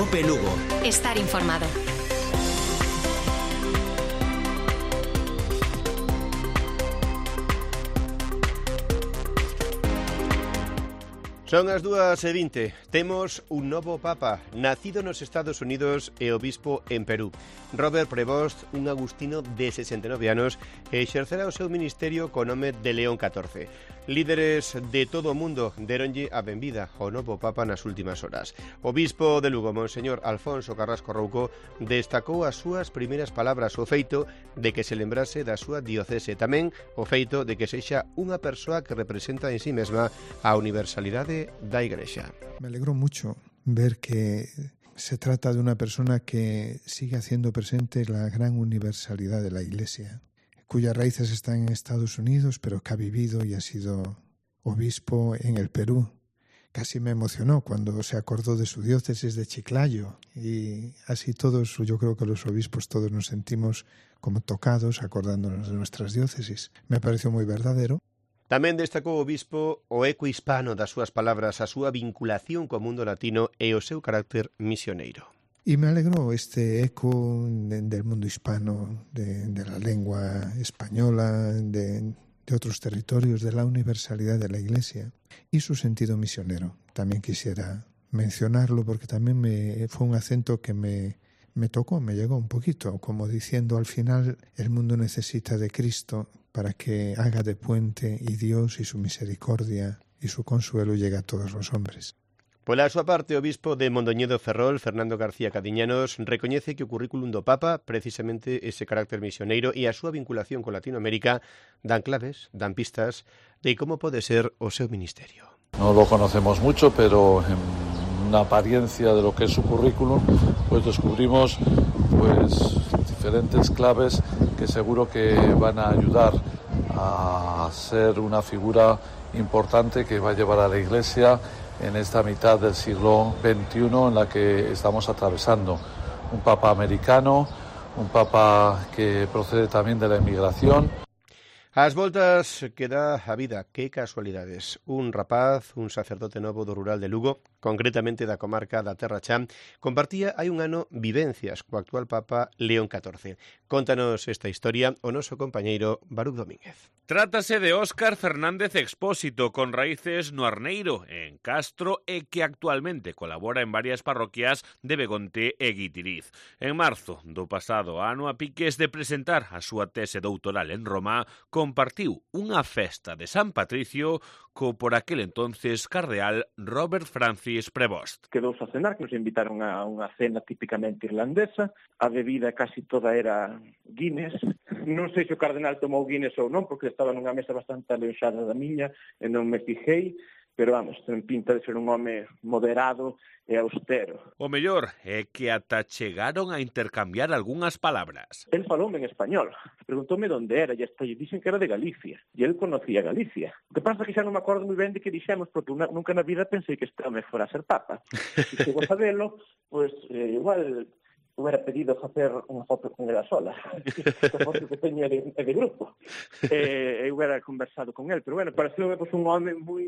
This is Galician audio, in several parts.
Cope Lugo. Estar informado. Son as 2:20. Temos un novo Papa, nacido nos Estados Unidos e obispo en Perú. Robert Prevost, un agustino de 69 anos, exercerá o seu ministerio co nome de León XIV. Líderes de todo o mundo deronlle a benvida ao novo Papa nas últimas horas. O bispo de Lugo, Monseñor Alfonso Carrasco Rouco, destacou as súas primeiras palabras, o feito de que se lembrase da súa diocese, tamén o feito de que sexa unha persoa que representa en sí mesma a universalidade da Igrexa. Me alegró mucho ver que se trata de una persona que sigue haciendo presente la gran universalidad de la Iglesia, cuyas raíces están en Estados Unidos, pero que ha vivido y ha sido obispo en el Perú. Casi me emocionó cuando se acordó de su diócesis de Chiclayo, y así todos, yo creo que los obispos todos nos sentimos como tocados acordándonos de nuestras diócesis. Me pareció muy verdadero. Tamén destacou o bispo o eco hispano das súas palabras, a súa vinculación co mundo latino e o seu carácter misioneiro. Y me alegró este eco del mundo hispano, de la lengua española, de otros territorios, de la universalidad de la Iglesia y su sentido misionero. También quisiera mencionarlo porque también fue un acento que me tocó, me llegó un poquito, como diciendo al final el mundo necesita de Cristo para que haga de puente y Dios y su misericordia y su consuelo llegue a todos los hombres. Pola súa parte, o bispo de Mondoñedo Ferrol, Fernando García Cadiñanos, recoñece que o currículum do Papa, precisamente ese carácter misioneiro e a súa vinculación con Latinoamérica, dan claves, dan pistas de como pode ser o seu ministerio. No lo conocemos mucho, pero en una apariencia de lo que es su currículum, pues descubrimos diferentes claves que seguro que van a ayudar a ser una figura importante que va a llevar a la Iglesia en esta mitad del siglo XXI en la que estamos atravesando. Un papa americano, un papa que procede también de la inmigración. As voltas que dá a vida, que casualidades. Un rapaz, un sacerdote novo do rural de Lugo, concretamente da comarca da Terra Chá, compartía hai un ano vivencias co actual Papa León XIV. Contanos esta historia o noso compañeiro Baruch Domínguez. Trátase de Óscar Fernández Expósito, con raíces no Arneiro, en Castro, e que actualmente colabora en varias parroquias de Begonte e Guitiriz. En marzo do pasado ano, a piques de presentar a súa tese doutoral en Roma, compartiu unha festa de San Patricio co por aquel entonces cardeal Robert Francis Prevost. Quedou a cenar, que nos invitaron a unha cena típicamente irlandesa. A bebida casi toda era Guinness. Non sei se o cardenal tomou Guinness ou non, porque estaba nunha mesa bastante aleixada da miña e non me fijei, pero vamos, ten pinta de ser un home moderado e austero. O mellor é que ata chegaron a intercambiar algunhas palabras. El faloume en español, preguntoume onde era, e hasta lle dixen que era de Galicia, e el conocía Galicia. O que pasa é que xa non me acordo moi ben de que dixemos, porque nunca na vida pensei que este home fora a ser papa. Se chegou a sabelo, pois igual hubiera pedido facer unha foto con ela sola, esta foto que teño é de grupo, e hubiera conversado con el, pero bueno, pareceu pues, un home moi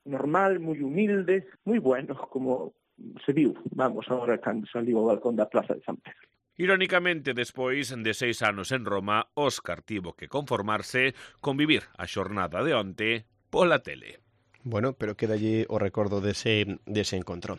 normal, moi humilde, moi bueno, como se viu, vamos, agora cando saliu ao balcón da Plaza de San Pedro. Irónicamente, despois de 6 anos en Roma, Óscar tivo que conformarse con vivir a xornada de onte pola tele. Bueno, pero quedalle o recordo dese encontro.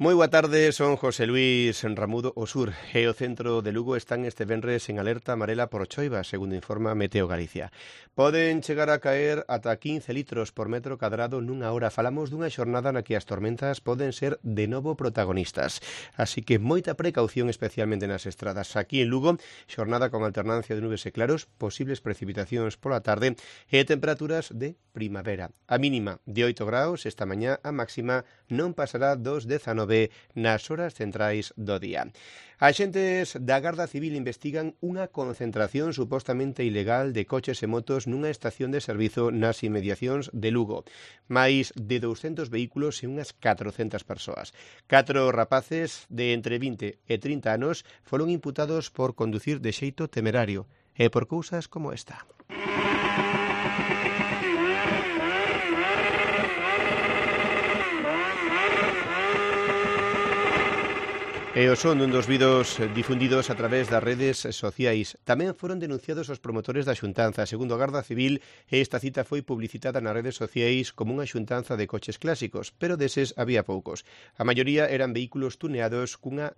Moi boa tarde, son José Luis Ramudo. O sur e o centro de Lugo están este venres en alerta amarela por choiva, segundo informa Meteo Galicia. Poden chegar a caer ata 15 litros por metro cadrado nunha hora. Falamos dunha xornada na que as tormentas poden ser de novo protagonistas. Así que moita precaución, especialmente nas estradas. Aquí en Lugo, xornada con alternancia de nubes e claros, posibles precipitacións pola tarde e temperaturas de primavera. A mínima de 8 graus esta mañá, a máxima non pasará dos 19 nas horas centrais do día. Axentes da Garda Civil investigan unha concentración supostamente ilegal de coches e motos nunha estación de servizo nas inmediacións de Lugo. Máis de 200 vehículos e unhas 400 persoas. 4 rapaces de entre 20 e 30 anos foron imputados por conducir de xeito temerario e por cousas como esta. E o son dun dos vídeos difundidos a través das redes sociais. Tamén foron denunciados os promotores da xuntanza. Segundo a Garda Civil, esta cita foi publicitada nas redes sociais como unha xuntanza de coches clásicos, pero deses había poucos. A maioría eran vehículos tuneados cunha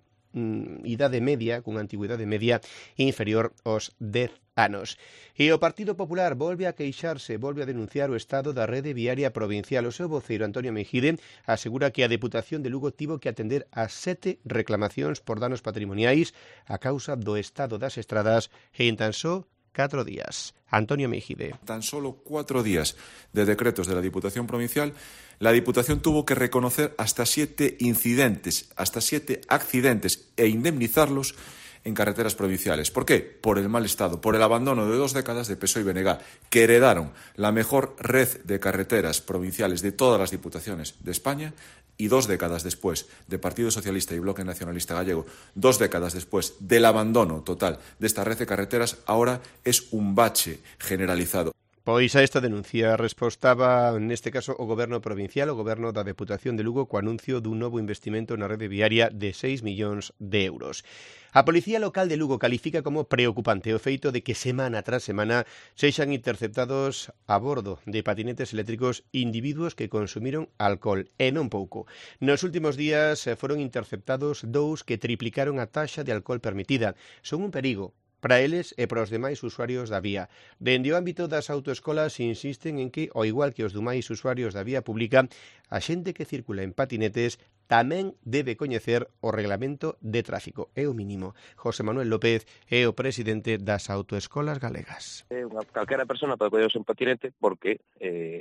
idade media, cunha antigüidade media inferior aos 10 anos. E o Partido Popular volve a queixarse, volve a denunciar o estado da rede viaria provincial. O seu voceiro, Antonio Mejide, asegura que a Deputación de Lugo tivo que atender a 7 reclamacións por danos patrimoniais a causa do estado das estradas e en tan só 4 días. Antonio Mejide. Tan solo 4 días de decretos de la Diputación Provincial, la Diputación tuvo que reconocer hasta 7 incidentes, hasta 7 accidentes e indemnizarlos en carreteras provinciales. ¿Por qué? Por el mal estado, por el abandono de 2 décadas de PSOE y BNG, que heredaron la mejor red de carreteras provinciales de todas las diputaciones de España, y 2 décadas después de Partido Socialista y Bloque Nacionalista Gallego, 2 décadas después del abandono total de esta red de carreteras, ahora es un bache generalizado. Pois a esta denuncia respostaba, neste caso, o Goberno provincial, o Goberno da Deputación de Lugo, co anuncio dun novo investimento na rede viaria de 6 millóns de euros. A Policía Local de Lugo califica como preocupante o feito de que semana tras semana sexan interceptados a bordo de patinetes eléctricos individuos que consumiron alcohol, e non pouco. Nos últimos días foron interceptados 2 que triplicaron a taxa de alcohol permitida. Son un perigo para eles e para os demais usuarios da vía. Dende o ámbito das autoescolas insisten en que, ao igual que os demais usuarios da vía pública, a xente que circula en patinetes tamén debe coñecer o reglamento de tráfico. É o mínimo. José Manuel López é o presidente das autoescolas galegas. Calquera persona pode collerse un patinete porque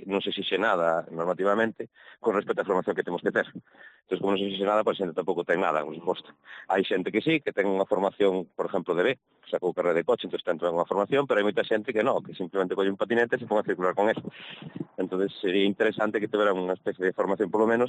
non se exixe nada normativamente con respecto á formación que temos que ter. Entón, como non se exixe nada, pois a xente tampouco ten nada, por suposto. Hai xente que sí, que ten unha formación, por exemplo, de B, sacou carreira de coche, entón ten unha formación, pero hai moita xente que non, que simplemente colle un patinete e se pon a circular con eso. Entón, sería interesante que tuveran unha especie de formación, polo menos,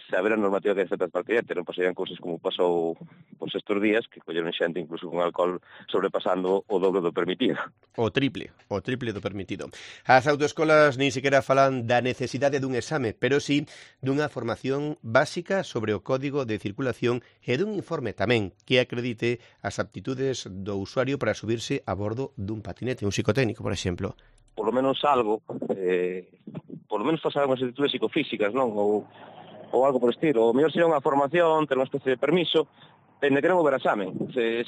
saber a normativa que afecta ao patinete, non pasarían cousas como pasou pois estes días, que colleron xente incluso con alcohol sobrepasando o doble do permitido. O triple do permitido. As autoescolas nin sequera falan da necesidade dun exame, pero sí dunha formación básica sobre o código de circulación e dun informe tamén que acredite as aptitudes do usuario para subirse a bordo dun patinete, un psicotécnico, por exemplo. Por lo menos algo, por lo menos pasar unhas actitudes psicofísicas, non? Ou algo por estilo. O mellor sería unha formación, ter unha especie de permiso, dende que non houbera examen.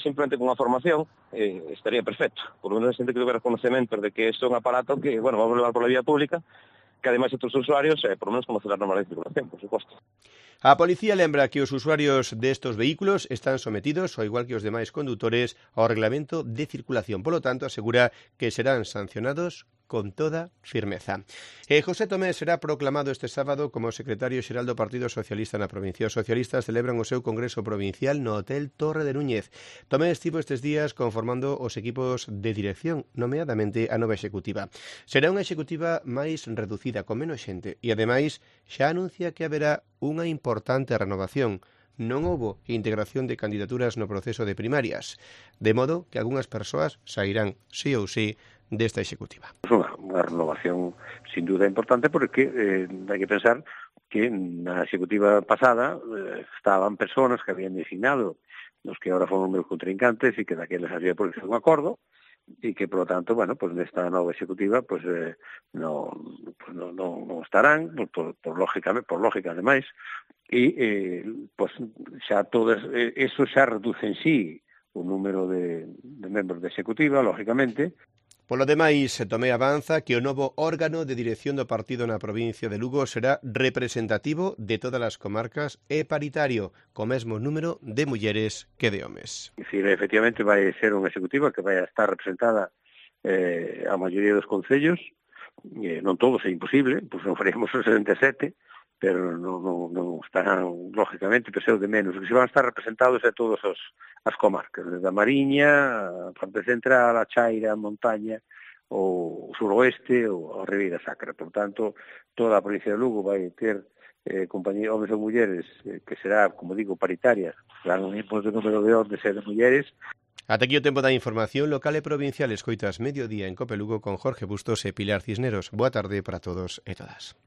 Simplemente con unha formación estaría perfecto. Por lo menos a xente que houbera conocemento de que isto é un aparato que, bueno, vamos a levar pola vía pública, que ademais outros usuarios, por lo menos conocer as normas de circulación, por suposto. A policía lembra que os usuarios destos vehículos están sometidos, ao igual que os demais condutores, ao reglamento de circulación. Polo tanto, asegura que serán sancionados con toda firmeza. José Tomé será proclamado este sábado como secretario xeral do Partido Socialista na provincia. Os socialistas celebran o seu congreso provincial no Hotel Torre de Núñez. Tomé estivo estes días conformando os equipos de dirección, nomeadamente a nova executiva. Será unha executiva máis reducida, con menos xente, e ademais xa anuncia que haberá unha importante renovación. Non houbo integración de candidaturas no proceso de primarias, de modo que algunhas persoas sairán sí ou sí desta executiva. Unha renovación sin duda importante porque hai que pensar que na executiva pasada estaban personas que habían designado os que agora foron meus contrincantes e que daqueles había por un acordo e que, por lo tanto, bueno, pues nesta nova executiva pues non estarán por lógica ademais e pues xa todas eso xa reduce en sí o número de membros da executiva, lógicamente. Polo demais, Tomé avanza que o novo órgano de dirección do partido na provincia de Lugo será representativo de todas as comarcas e paritario, co mesmo número de mulleres que de homes. Efectivamente, vai ser unha executiva que vai estar representada a maioría dos concellos, non todos, é imposible, pois non faremos os 67, pero non estarán, lógicamente, peseu de menos. O que se van a estar representados é todas as comarcas, desde a Mariña, a parte central, a Chaira, a Montaña, o suroeste, ou a Ribeira Sacra. Por tanto, toda a provincia de Lugo vai ter compañía, homes ou mulleres, que será, como digo, paritaria, claro, un imposto de número de homes e de mulleres. Ata aquí o tempo da información local e provincial. Escoitas Mediodía en Cope Lugo con Jorge Bustos e Pilar Cisneros. Boa tarde para todos e todas.